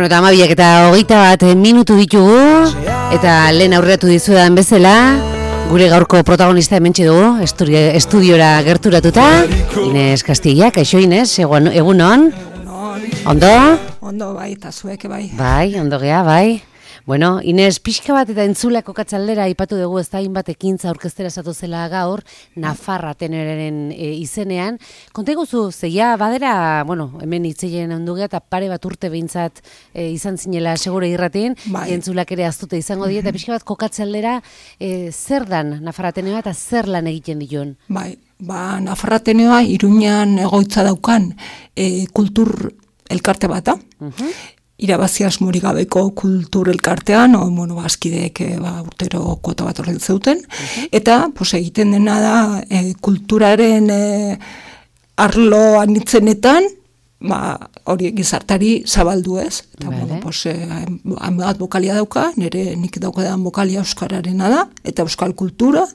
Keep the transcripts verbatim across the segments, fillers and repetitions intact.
Bueno, eta amabiak eta hogeita bat minutu ditugu, eta lehen aurreatu dizuetan bezala, gure gaurko protagonista hementxe dugu, estudiora gerturatuta, Ines Castilla. Kaixo Ines, egun on? Ondo? Ondo bai, eta zuek bai. Bai, ondo gea, bai. Bueno, Ines, pixka bat eta entzulako katzaldera ipatu dugu ez da hainbat ekintza aurkeztera esatu zela gaur, Nafarra teneraren e, izenean. Konta iguzu, zeia badera, bueno, hemen hitzeien ondu gea, eta pare bat urte behintzat e, izan zinela segure irratin, bai. Entzulak ere aztuta izango die, eta pixka bat kokatzaldera e, zer dan Nafarra teneoa eta zer lan egiten dituen? Bai, ba, Nafarra teneoa Iruñan egoitza daukan e, kultur elkarte bata. Uh-huh. Irabazi asmorik gabeko kultur elkartean, o, bueno, bazkideek ba, urtero kuota bat horren zeuten, uh-huh. Eta pues, egiten dena da e, kulturaren e, arlo anitzenetan, ba, hori gizartari zabaldu ez. Eta, vale. Bueno, pues, e, bat bokalia dauka, nire nik daukadan bokalia euskararena da, eta euskal kultura,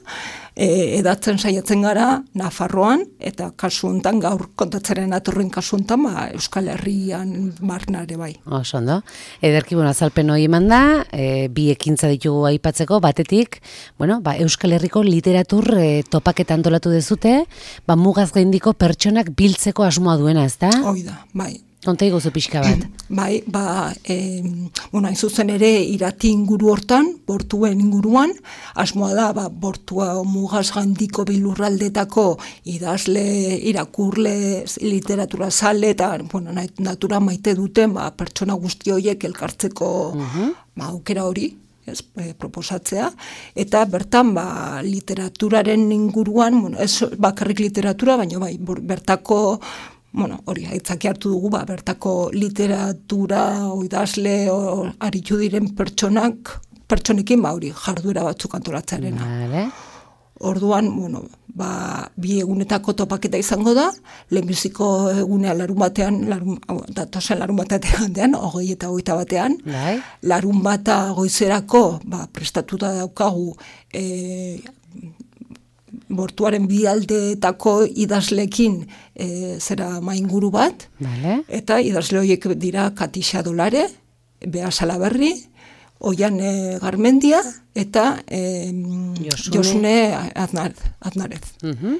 e, edatzen saiatzen gara Nafarroan, eta kasu hontan gaur kontatzeren atorren kasu hontan, ba, Euskal Herrian marnare bai. Oso ondo. Ederki, bueno, azalpen hori eman da, e, bi ekintza ditugu aipatzeko, batetik, bueno, ba, Euskal Herriko literatur e, topaketa antolatu dezute, ba, mugaz gaindiko pertsonak biltzeko asmoa duena, ez da? Hoi da, bai. Konta iguzu pixka bat. Bai, ba, e, bueno, hain zuzen ere irati inguru hortan, bortuen inguruan, asmoa da, ba, bortua mugaz gaindiko bilurraldetako idazle, irakurle, literatura zale, eta, bueno, natura maite duten, ba, pertsona guzti horiek elkartzeko, uh-huh. ba, aukera hori. Ez, e, proposatzea, eta bertan ba, literaturaren inguruan, bueno, ez bakarrik literatura, baina bai, bertako, bueno, hori aitzaki hartu dugu, ba, bertako literatura, oidazle, o, aritu diren pertsonak, pertsonekin, ba, hori jarduera batzuk antolatzearena. Vale. Orduan, bueno, ba, bi egunetako topaketa izango da, lehenbiziko egunea larun batean, larun, datosen larun batean, hogei eta hogeita batean, Lai. Larun bata goizerako, ba, prestatuta daukagu, e, bortuaren bi aldeetako idazlekin e, zera mainguru bat, vale. Eta idazle horiek dira Katixa Dolare, Bea Salaberri, Oian e, Garmendia eta e, Josune, Josune Aznarez. Aznarez. Uh-huh.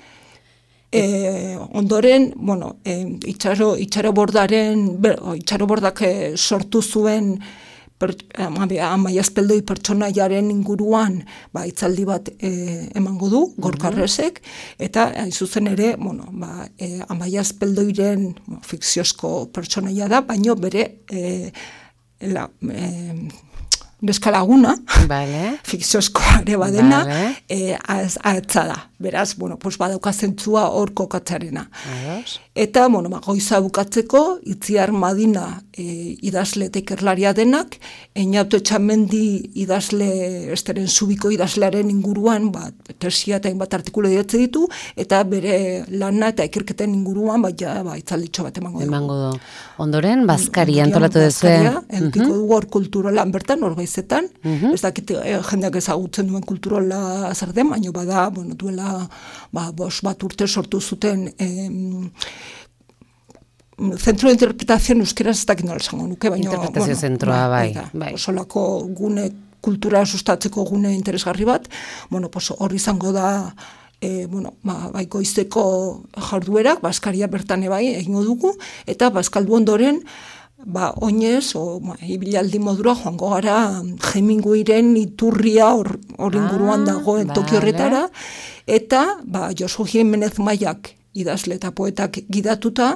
E, ondoren, bueno, e, itxaro, itxaro bordaren, ber, itxaro bordak e, sortu zuen per, Amaia Azpeldoi pertsonaiaren inguruan ba, itzaldi bat e, emango du, Gorkarresek, eta hain zuzen ere, bueno, ba, e, Amaia Azpeldoiren bueno, fikziozko pertsonaia da, baino bere e, la, e, neskalaguna, vale. Fikziozkoa ere badena, vale. e, ahetza da. Beraz, bueno, pues badauka zentzua hor kokatzarena. Ados. Eta, bueno, ba, goiza bukatzeko, Itziar Madina e, idazle eta ikerlaria denak, Eñauto Etxamendi idazle, esteren zubiko idazlearen inguruan, ba, tesia eta hainbat artikulu idatzi ditu, eta bere lana eta ikerketen inguruan, ba, ja, ba, itzalditxo bat emango dugu. Emango du. Ondoren, Bazkari antolatu duzu. Bazkaria, edukiko uh-huh. dugu hor kulturolan bertan, hor baizetan, uh-huh. ez dakit e, jendeak ezagutzen duen kulturola zer den, baina bada, bueno, duela ba, bos bat urte sortu zuten em, Centro de Interpretación euskera ez dakit nola esango nuke, baina interpretazio bueno, zentroa, bai, bai. bai. Osolako gune kultura sustatzeko gune interesgarri bat, bueno, pues, hor izango da e, bueno, ba, bai goizeko jarduerak, Bazkaria bertan ebai egingo dugu, eta bazkaldu ondoren ba, oinez, o, ba, ibilaldi modura joango gara Hemingwayren iturria hor inguruan ah, dagoen toki horretara, eta ba, Josu Jimenez Maiak idazle eta poetak gidatuta,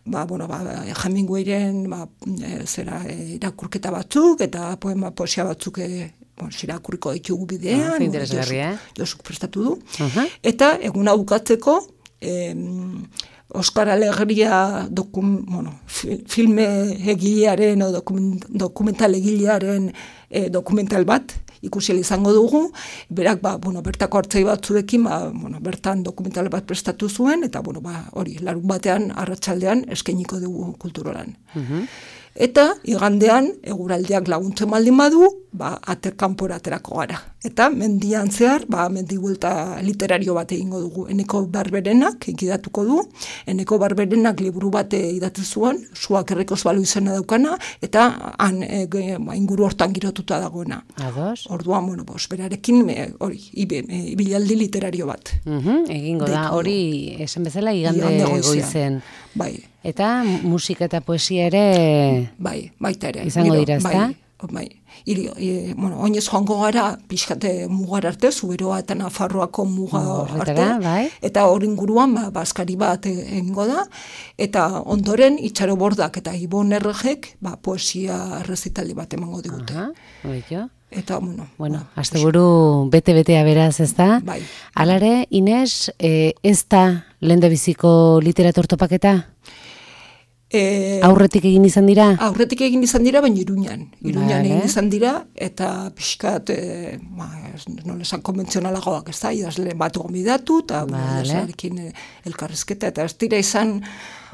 ba, bueno, ba, Hemingwayren ba, e, zera, e, irakurketa batzuk, eta poema poesia batzuk e, bon, irakurriko ditugu bidean, ah, interesgarri, eh? Josuk prestatu du, uh-huh. Eta eguna bukatzeko, em, Oskar Alegria dokum, bueno, filme egilearen o dokument, dokumental egilearen e, dokumental bat ikusi izango dugu, berak ba, bueno, bertako hartzai batzuekin ba, bueno, bertan dokumental bat prestatu zuen, eta bueno, ba, hori, larun batean, arratsaldean eskainiko dugu kulturolan. Uh-huh. Eta igandean eguraldiak laguntzen baldin badu, ba ater kanpora aterako gara. Eta mendian zehar, ba mendi buelta literario bat egingo dugu. Eneko Barberenak ikidatuko du. Eneko Barberenak liburu bat idatzi zuen, Suak errekoz balu izena daukana, eta han e, e, inguru hortan girotuta dagoena. Ados. Orduan, bueno, bos, berarekin hori, ibilaldi literario bat. Uh-huh, egingo da, hori esan bezala igande, igande goizen. Bai. Eta musika eta poesia ere bai, baita ere. Izango dira, ezta? Bai, bai. Iri, e, bueno, oinez joango gara pixkate mugar arte, Zuberoa eta Nafarroako muga arte, bai. Eta hori inguruan ba, baskari bat egingo da, eta ondoren Itxaro Bordak eta Ibon Erregek ba, poesia errezitaldi bat emango digute. Aha, eta, bueno... Bueno, ba, asteburu bete-betea beraz, ez da? Bai. Alare, Ines, e, ez da lehendabiziko literatur topaketa? E, aurretik egin izan dira? Aurretik egin izan dira, baina Iruñan. Iruñan vale. Egin izan dira, eta pixkat, e, ba, nola esan konbentzionalagoak, ez da, idazle bat gomidatu, eta vale. Idazlearekin elkarrizketa, eta ez dira izan...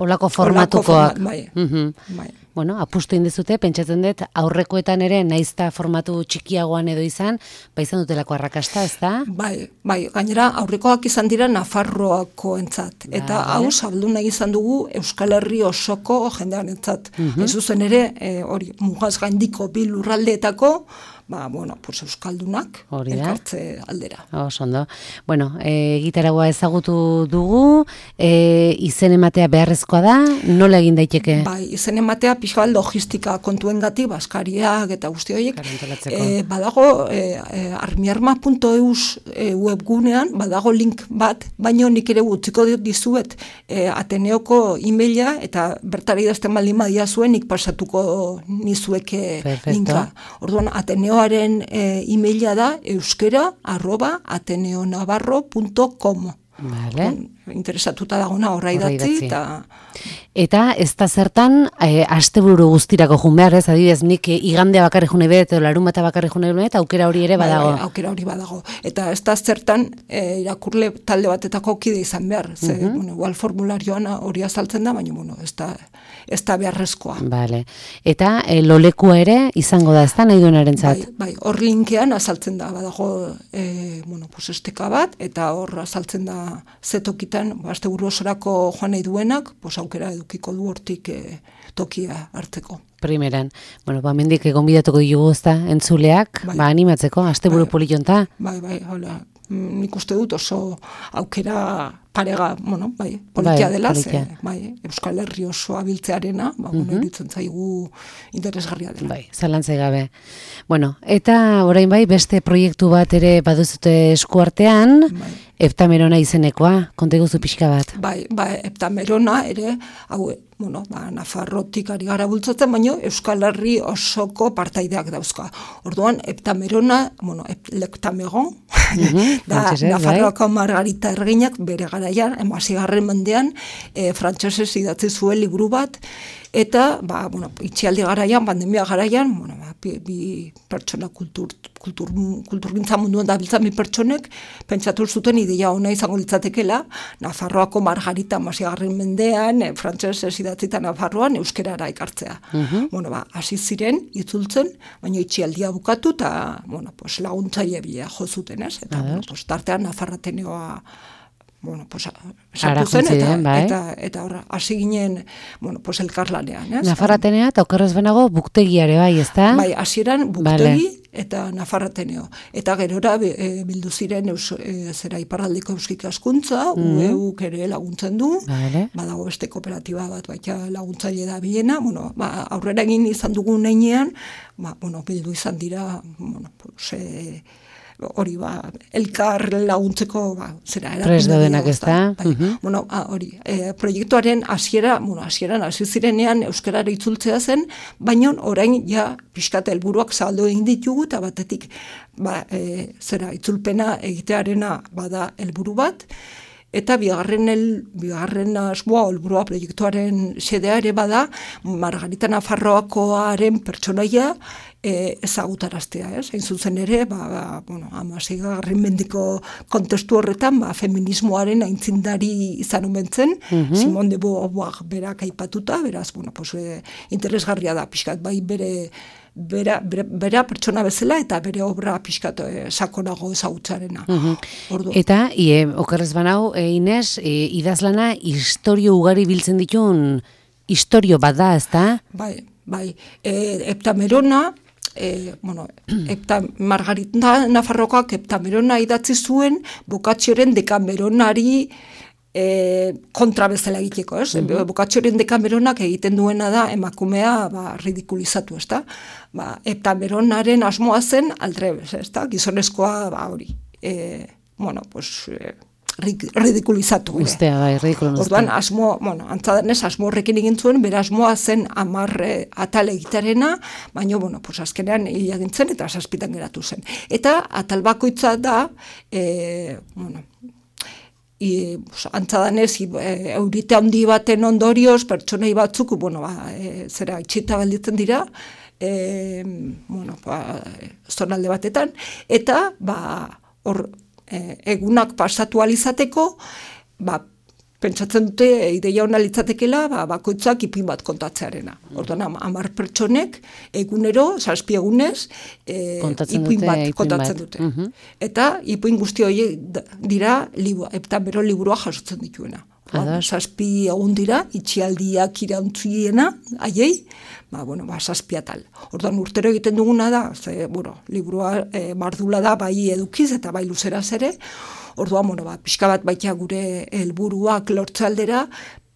Olako formatukoak. Format, bai. Uh-huh. Bai. Bueno, apustu indezute, pentsatzen dut, aurrekoetan ere, naizta formatu txikiagoan edo izan, ba izan dutelako arrakasta, ez da? Bai, bai, gainera, aurrekoak izan dira Nafarroako entzat. Eta hau, vale. Zabaldu nahi izan dugu Euskal Herri osoko jendean entzat. Uh-huh. Ez zuzen ere, hori, e, mugaz gaindiko bi lurraldeetako, ba, bueno, pues euskaldunak elkartze aldera. Oso ondo. Bueno, e, gitaragua ezagutu dugu, e, izen ematea beharrezkoa da, nola egin daiteke? Bai, izen ematea pixka logistika kontuengatik, baskariak eta guzti horiek. E, badago, e, e, armiarma puntu eus e, webgunean, badago link bat, baino nik ere utziko dizuet e, Ateneoko emaila, eta bertara idazten baldin badia zuen, nik pasatuko nizueke Perfecto. Linka. Orduan, Ateneo Ateneoaren e, emaila da euskera arroba ateneonavarro punto com. Vale. Interesatuta dagona horra idatzi. Eta... eta ez da zertan, e, asteburu guztirako jun behar, ez adibidez, nik igandea bakarri june bet, edo larun bata bakarri june bet, aukera hori ere badago. Bai, aukera hori badago. Eta ez da zertan, e, irakurle talde batetako kide izan behar. Ze, uh-huh. bueno, igual formularioan hori azaltzen da, baina, bueno, ez da, ez da beharrezkoa. Vale. Eta e, lolekua ere izango da, ez da nahi duenaren zat? Bai, bai, hor linkean azaltzen da, badago, e, bueno, pues esteka bat, eta hor azaltzen da zetokitan, asteburu osorako joan nahi duenak, pues aukera edukiko du hortik e, tokia hartzeko. Primeran. Bueno, ba, mendik egon bidatuko ditugu ezta, entzuleak, bai. Ba, animatzeko, asteburu bai. Polionta. Bai, bai, hola. Nik uste dut oso aukera parega, bueno, bai, politia bai, dela, ze, bai, Euskal Herri osoa biltzearena, ba, bueno, uh-huh. iritzen zaigu interesgarria dela. Bai, zalantzai gabe. Bueno, eta orain bai, beste proiektu bat ere baduzute eskuartean, bai. Heptamerona izenekoa, konta iguzu pixka bat. Bai, bai, Heptamerona ere, hau, bueno, ba, Nafarrotik ari gara bultzatzen, baina Euskal Herri osoko partaideak dauzka. Orduan, Heptamerona, bueno, Heptameron, uh-huh. da, Nafarroako bai. Margarita Erginak bere garaian, hamazigarren mendean, e, frantsesez idatzi zuen liburu bat, eta, ba, bueno, itxialdi garaian, pandemia garaian, bueno, ba, bi, bi pertsona kultur, kultur, kulturgintza munduan dabiltzan bi pertsonek, pentsatu zuten ideia ona izango litzatekela, Nafarroako Margarita hamazigarren mendean, e, frantsesez idatzita Nafarroan, euskerara ekartzea. Uh-huh. Bueno, ba, hasi ziren, itzultzen, baina itxialdia bukatu, eta, bueno, pues, laguntzaile bila jo zuten, ez? Eta, bueno, pues, tartean Nafarrateneoa bueno, pues, sartu zen, eta, bai. eta, eta horra, hasi ginen, bueno, pues, elkarlanean, ez? Nafarratenea, eta okerrez benago, buktegiare, bai, ez da? Bai, hasieran buktegi, vale. Eta Nafarrateneo. Eta gerora e, bildu ziren eus, e, zera iparraldeko euskik askuntza, mm. U E Uk ere laguntzen du, vale. Badago beste kooperatiba bat, baita laguntzaile da bilena, bueno, ba, aurrera egin izan dugun neinean, ba, bueno, bildu izan dira, bueno, pues, e, hori ba, elkar laguntzeko ba, zera Pres daudenak ez da. Bai. Uh-huh. Bueno, ah, hori, e, proiektuaren hasiera, bueno, hasieran hasi zirenean euskarara itzultzea zen, baina orain ja pixkat helburuak zabaldu egin ditugu eta batetik ba, e, zera itzulpena egitearena bada helburu bat, eta bigarren, el, bigarren asmoa, helburua proiektuaren xedea ere bada, Margarita Nafarroakoaren pertsonaia e, ezagutaraztea, ez? Hain zuzen ere, ba, ba, bueno, hamaseigarren mendeko kontestu horretan, ba, feminismoaren aintzindari izan omentzen, mm-hmm. Simone de Beauvoir berak aipatuta, beraz, bueno, pues, e, interesgarria da, pixkat, bai bere Bera, bera, bera pertsona bezala eta bere obra pixkat e, sakonago ezagutzarena. Uh-huh. Eta, ie, okerrez banau, e, Ines, e, idazlana historio ugari biltzen ditun historio bat da, ez da? Bai, bai. E, Heptamerona, e, bueno, Hepta, Margarita Nafarrokoak Heptamerona idatzi zuen Boccacioren Dekameronari E, kontra bezala egiteko, ez? Mm-hmm. Boccacioren Dekameronak egiten duena da emakumea ba, ridikulizatu, ez da? Ba, Heptameronaren asmoa zen aldrebez, ez da? Gizonezkoa, ba, hori, e, bueno, pues, e, ridikulizatu. Ustea, bai, ridikulizatu. Orduan, asmo, bueno, antzadanez, asmo horrekin egin zuen, bera asmoa zen amarre atal egitarena, baina, bueno, pues, azkenean hil egin zen eta zazpitan geratu zen. Eta atal bakoitza da, e, bueno, I, pues, antzadanez, e, eurite handi baten ondorioz, pertsonei batzuk, bueno, ba, e, zera, itxita galditzen dira, e, bueno, ba, zonalde batetan, eta, ba, hor, e, egunak pasatu alizateko, ba, pentsatzen dute, ideia hona litzatekela, ba, bakoitzak ipuin bat kontatzearena. Orduan, hamar pertsonek, egunero, zazpi egunez, e, ipuin bat kontatzen dute. Uh-huh. Eta, ipuin guzti horiek dira, libu, Heptamero liburua jasotzen dituena. Ba, zazpi egun dira, itxialdiak irauntziena, haiei, ba, bueno, ba, zazpi atal. Orduan, urtero egiten duguna da, ze, bueno, liburua e, mardula da, bai edukiz eta bai luzeraz ere. Orduan, bueno, ba, pixka bat baita gure helburuak lortzaldera,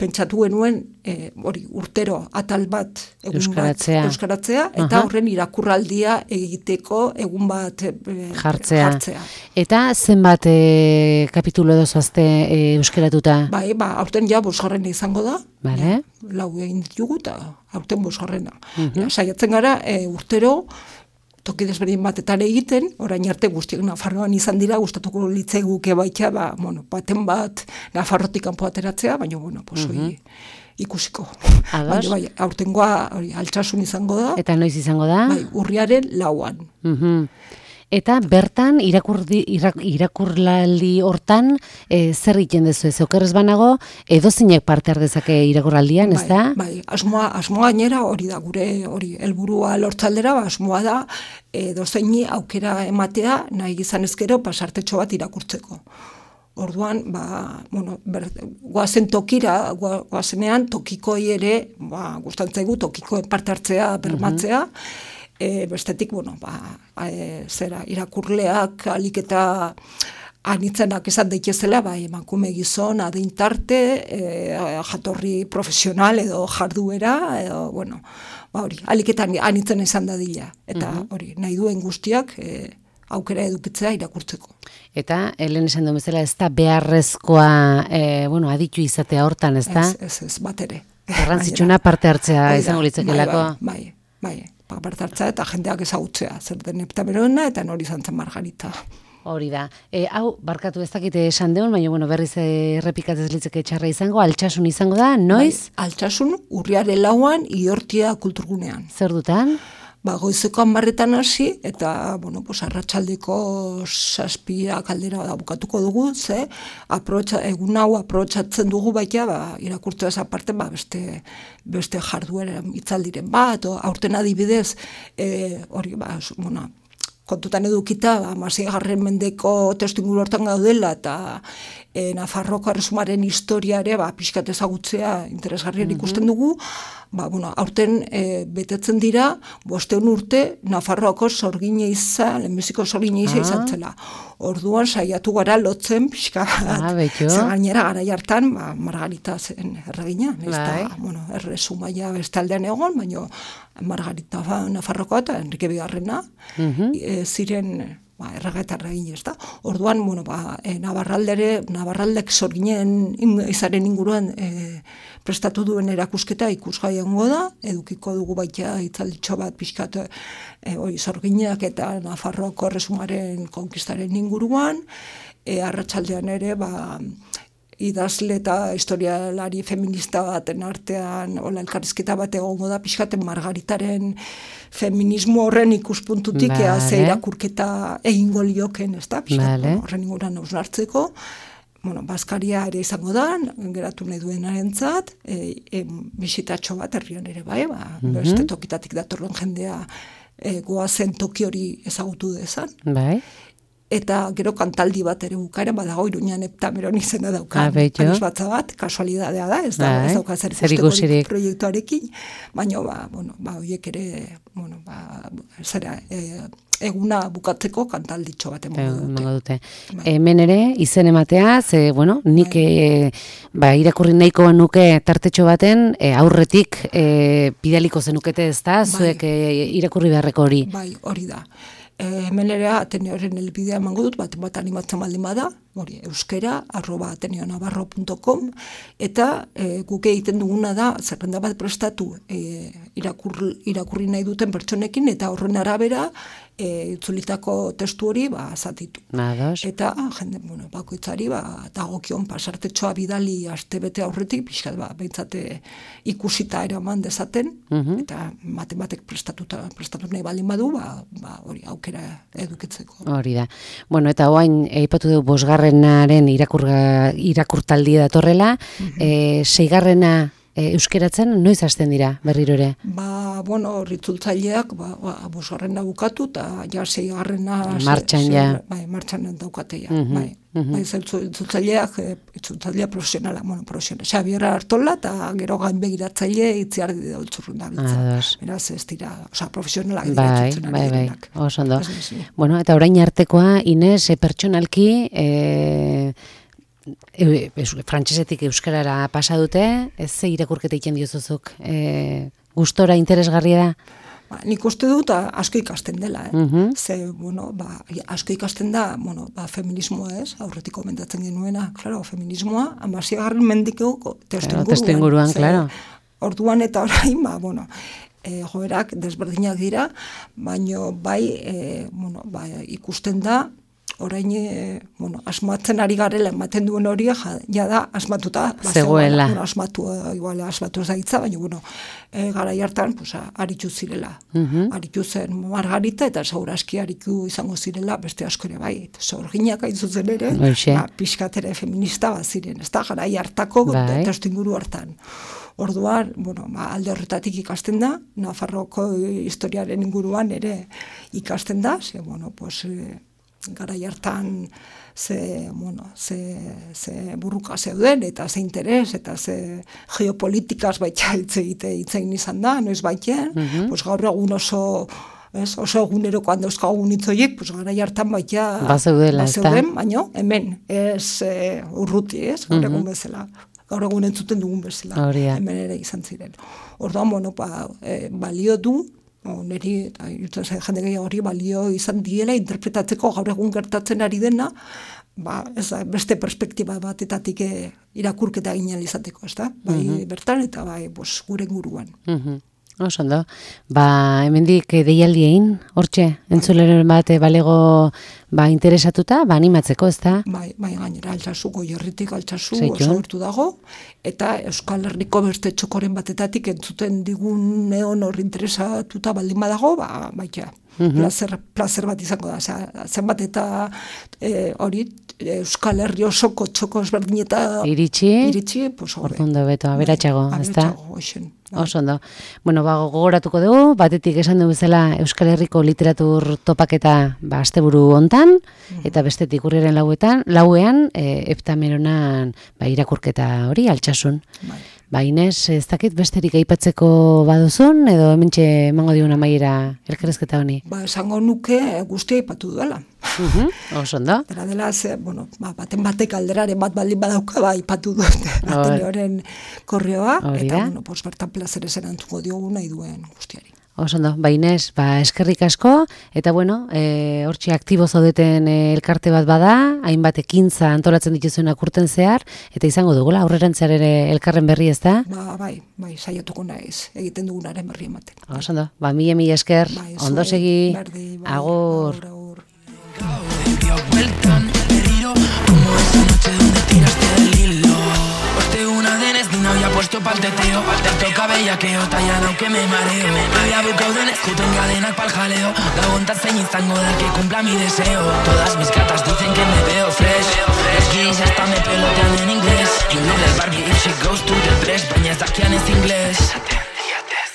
pentsatu genuen, e, hori, urtero atal bat, egun euskaratzea. bat euskaratzea, eta uh-huh. horren irakurraldia egiteko egun bat e, jartzea. jartzea. Eta zenbat e, kapitulo edo zoazte e, euskaratuta? Bai, ba, aurten ja bosgarrena izango da. Vale. Ja, lau egin ditugu eta aurten bosgarrena. Uh-huh. Ja, saiatzen gara, e, urtero, toki desberdin batetan egiten, orain arte guztiak Nafarroan izan dira, gustatuko litzaiguke baita, ba, bueno, baten bat Nafarrotik kanpo ateratzea, baina, bueno, pues, uh-huh. ikusiko. Baina, bai, aurtengoa hori, Altsasun izango da. Eta noiz izango da? Bai, urriaren lauan. Uh-huh. Eta bertan, irakurdi, irak, irakurlaldi hortan, e, zer egiten dezu ez? Okerrez banago, edozinek parte ardezake irakurraldian, ez da? Bai, bai, asmoa, asmoa gainera hori da, gure hori helburua lortzaldera, ba, asmoa da, edozeini aukera ematea, nahi izan ezkero, pasartetxo bat irakurtzeko. Orduan, ba, bueno, ber, guazen tokira, guazenean tokikoi ere, ba, gustantzaigu tokikoen parte hartzea, bermatzea, uh-huh. E, bestetik, bueno, ba, e, zera, irakurleak alik eta anitzenak esan daitezela, ba, emakume gizon, adintarte, e, jatorri profesional edo jarduera, edo, bueno, ba, hori, alik eta anitzen esan dadila. Eta, uh-huh. hori, nahi duen guztiak, e, aukera edukitzea irakurtzeko. Eta, helen esan duen bezala, ez da beharrezkoa, e, bueno, aditu izatea hortan, ez da? Ez, ez, ez, bat ere. Garrantzitsuna parte hartzea Oida, izango litzakelako. Bai, bai, bai. Parte hartzea eta jendeak ezagutzea, zer den Heptamerona eta nori izan zen Margarita. Hori da. E, hau, barkatu ez dakite esan deun, baina bueno, berriz errepikatzez litzeke txarra izango, Altsasun izango da, noiz? Bai, Altsasun, urriaren lauan, Iortia kulturgunean. Zer dutan? Ba, goizeko hanbarretan hasi, eta, bueno, pues, arratsaldeko zazpia kaldera da bukatuko dugu, ze, aprotxa, egun hau aprotxatzen dugu baita, ba, irakurtzea esa parte, ba, beste, beste jarduera itzaldiren bat, o, aurten adibidez, e, hori, ba, bueno, kontutan edukita, ba, hamaseigarren mendeko testu inguru hortan gaudela, eta e, Nafarroko erresumaren historia ere, ba, pixkat ezagutzea interesgarrian ikusten dugu, ba, bueno, aurten e, betetzen dira, bosteun urte, Nafarroako sorgine izan, lehenbiziko sorgine izan ah. izan zela. Orduan saiatu gara lotzen pixka bat, ah, zer gainera garai hartan, ba, Margarita zen erregina, ez da, bueno, erresumaia bestaldean egon, baina Margarita ba, Nafarrokoa eta Enrique Bigarrena, uh-huh. e, ziren ba, errega eta erregin, ez da. Orduan, bueno, ba, e, Navarraldere, Navarraldek sorginen izaren inguruan e, prestatu duen erakusketa ikusgai egongo da, edukiko dugu baita itzalditxo bat pixkat e, hori sorginak eta Nafarroako erresumaren konkistaren inguruan, e, arratsaldean ere, ba, idazle eta historialari feminista baten artean, hola elkarrizketa bat egongo da, pixkaten Margaritaren feminismo horren ikuspuntutik, vale. ea ze irakurketa egingo lioken, ez da, pixkat, vale. horren inguran hausnartzeko, bueno, Baskaria ere izango da, geratu nahi duenarentzat, e, e, bisitatxo bat herrian ere bai, ba, mm-hmm. beste tokitatik datorren jendea e, goazen toki hori ezagutu dezan. Bai. Eta gero kantaldi bat ere bukaera, badago Iruñan Heptameron izena dauka. Anos batza bat, kasualidadea da, ez da, bai. Ez dauka zer ikusteko proiektuarekin, baina, ba, bueno, ba, oiek ere, bueno, ba, zera, e, eguna bukatzeko kantalditxo bat emango dute. Bai. Hemen ere, izen ematea, ze, bueno, nik bai. e, ba, irakurri nahiko nuke tartetxo baten, e, aurretik e, bidaliko zenukete ez da, bai. Zuek e, irakurri beharreko hori. Bai, hori da. E, hemen ere Ateneoren elbidea emango dut, bat, bat animatzen baldin bada, hori, euskera, arroba ateneonavarro punto com, eta e, guk egiten duguna da, zerrenda bat prestatu e, irakur, irakurri nahi duten pertsonekin, eta horren arabera, e, itzulitako testu hori, ba, zatitu. Nados. Eta, jende, bueno, bakoitzari, ba, dagokion pasartetxoa bidali astebete aurretik, pixkat, ba, behintzate ikusita eraman dezaten, uh-huh. eta matematek prestatuta, prestatu nahi baldin badu, ba, ba, hori, aukera edukitzeko. Hori da. Bueno, eta oain, eipatu dugu bosgarrenaren irakurga, irakurtaldia datorrela, uh-huh. e, seigarrena e, euskeratzen, noiz hasten dira berriro ere? Ba, bueno, ritzultzaileak, ba, ba, bosgarrena bukatu, eta ja seigarrena... Martxan ja. Bai, martxan daukate ja, uh-huh. bai. Uh-huh. Bai, ritzultzaileak, ritzultzailea profesionala, bueno, profesionala. Xabier Artola, eta gero gain begiratzaile itziar daultzurrun da bitza. Beraz, ez dira, oza, profesionalak dira bai, txutzenak bai, bai, direnak. oso ondo. Bueno, eta orain artekoa, Ines, e, pertsonalki, e, e, e, frantsesetik euskarara pasa dute, ez ze irakurketa egiten diozuzuk, e, gustora interesgarria da? Ba, nik uste dut asko ikasten dela, eh? Uh-huh. Ze, bueno, ba, asko ikasten da, bueno, ba, feminismoa ez, aurretik komentatzen genuena, claro, feminismoa, amaziagarren mendiko testu inguruan, claro. Orduan eta orain, ba, bueno, e, joerak desberdinak dira, baino bai, e, bueno, ba, ikusten da, orain, e, bueno, asmatzen ari garela ematen duen hori, ja, ja da, asmatuta. Zegoela. Bueno, asmatu, igual, asmatu ez daitza, baina, bueno, e, garai hartan, pues, aritu zirela. Uh-huh. Aritu zen Margarita, eta segurazki aritu izango zirela, beste asko ere bai. Zorginak hain zuzen ere, ba, pixkatere feminista bat ziren, ez da, garai hartako, bai. Testu inguru hartan. Orduan, bueno, ba, alde horretatik ikasten da, Nafarroko historiaren inguruan ere ikasten da, ze, bueno, pues, e, gara hartan ze, bueno, ze, ze burruka zeuden, eta ze interes, eta ze geopolitikaz baita hitz egite hitzein izan da, noiz baitean, uh-huh. pues gaur egun oso, ez, oso eguneroko handauzkagun hitzoiek, pues gara hartan baita bazeudela, bazeuden, baino, hemen, ez e, urruti, ez, gaur egun uh-huh. bezala. Gaur egun entzuten dugun bezala, hemen ere izan ziren. Orduan, bueno, ba, e, balio du, O, niri, eta jende gehiago hori balio izan diela interpretatzeko gaur egun gertatzen ari dena, ba, ez da, beste perspektiba batetatik irakurketa ginen izateko, ez da? Bai uh-huh. bertan eta bai bos, gure inguruan. Uh-huh. Oso ondo. Ba, hemendik deialdi egin, hortxe, entzuleren bat balego ba, interesatuta, ba, animatzeko, ez da? Bai, bai, gainera, altsasu, goierritik altsasu, oso gertu dago, eta Euskal Herriko beste txokoren batetatik entzuten digun neon hor interesatuta baldin badago, ba, baita, uh-huh. placer, placer bat izango da, Osea, zenbat eta e, hori, Euskal Herri osoko txoko ezberdin eta iritsi, iritsi pues, ordundo beto, aberatxago, ez da? Aberatxago, oso ondo. Bueno, ba, gogoratuko dugu, batetik esan dugu bezala Euskal Herriko literatur topaketa ba, asteburu hontan, uh-huh. eta bestetik urriaren lauetan, lauean, e, Heptameronan ba, irakurketa hori, altsasun. Bai. Ba, Ines, ez dakit besterik aipatzeko baduzun, edo hementxe emango digun amaiera elkarrezketa honi? Ba, esango nuke guztia aipatu duela. Uh-huh. Oso ondo. Dela dela, ze, bueno, ba, baten batek alderaren bat baldin badauka, ba, aipatu dut Ateneoren korreoa, eta, bueno, pos, bertan plazeres erantzungo diogu nahi duen guztiari. Oso ondo, ba Ines, ba eskerrik asko, eta bueno, e, hortxe aktibo zaudeten e, elkarte bat bada, hainbat ekintza antolatzen dituzuenak urten zehar, eta izango dugula, aurrerantzean ere elkarren berri ez da? Ba, bai, bai, saiatuko naiz, egiten dugunaren berri ematen. Oso ondo, ba mila mila esker, bai, ondo segi, berdi, bai, agur. agur, agur. Vueltan, herido, como esa noche donde tiraste del hilo. listo pa'l teteo. Te toca bellaqueo, tallan aunque me mareo. Había bucao de nescuto en cadenak pa'l jaleo. Gagontat zein izango da que cumpla mi deseo. Todas mis gatas dicen que me veo fresh. Los gays hasta me pelotean en inglés. You look like Barbie if she goes to the press. Baina ez dakian ez inglés.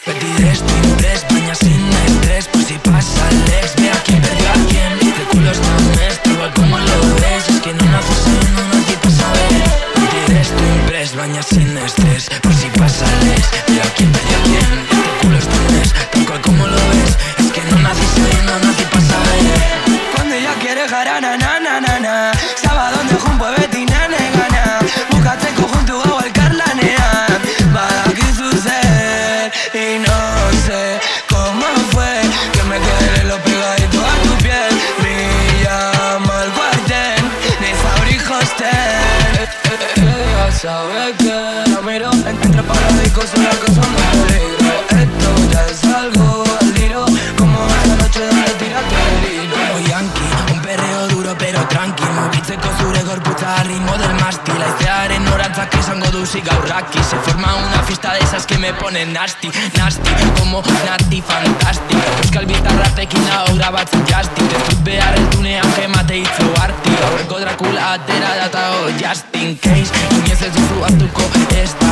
Beti destu impress, baina sin estrés. Por si pasa Alex, ve a quién perdió a quién. Este culo es tan honesto, igual como lo ves. Es que no nací sin, no nací pa' saber. Beti destu impress, baina sin estrés. Por si pasa Alex, ve a quién perdió a quién. Este culo es tan honesto, tal cual como lo ves. Es que no nací sin, no nací pa' saber. Cuando ella quiere jarana, na na na na. Sábado de junpo beti nane gana. Bukatzeko juntu gau elkarlanean. Badakizu zer, y no sé cómo fue que me quedé lo pegadito a tu piel. Me llama al cuartel de Sabri Hostel. Ella sabe que la miro entre paradiscos, una cosa me peligro. Esto ya es algo al tiro, como esa noche donde tiraste el hilo. Como yankee, un perreo duro pero tranqui. Mugitzeko zure gorputza al ritmo del mástil. Aizearen norantzak esango duzi gaurraki. Se forma una fiesta de esas que me ponen nasty, nasty, como nati fantastic. Euskal bitarratekin hau grabatzen jastik. Ez dut behar eltunean gemate hitzo arti. Aurreko Dracula atera data ho just in case. Inoiz ez duzu hartuko ez da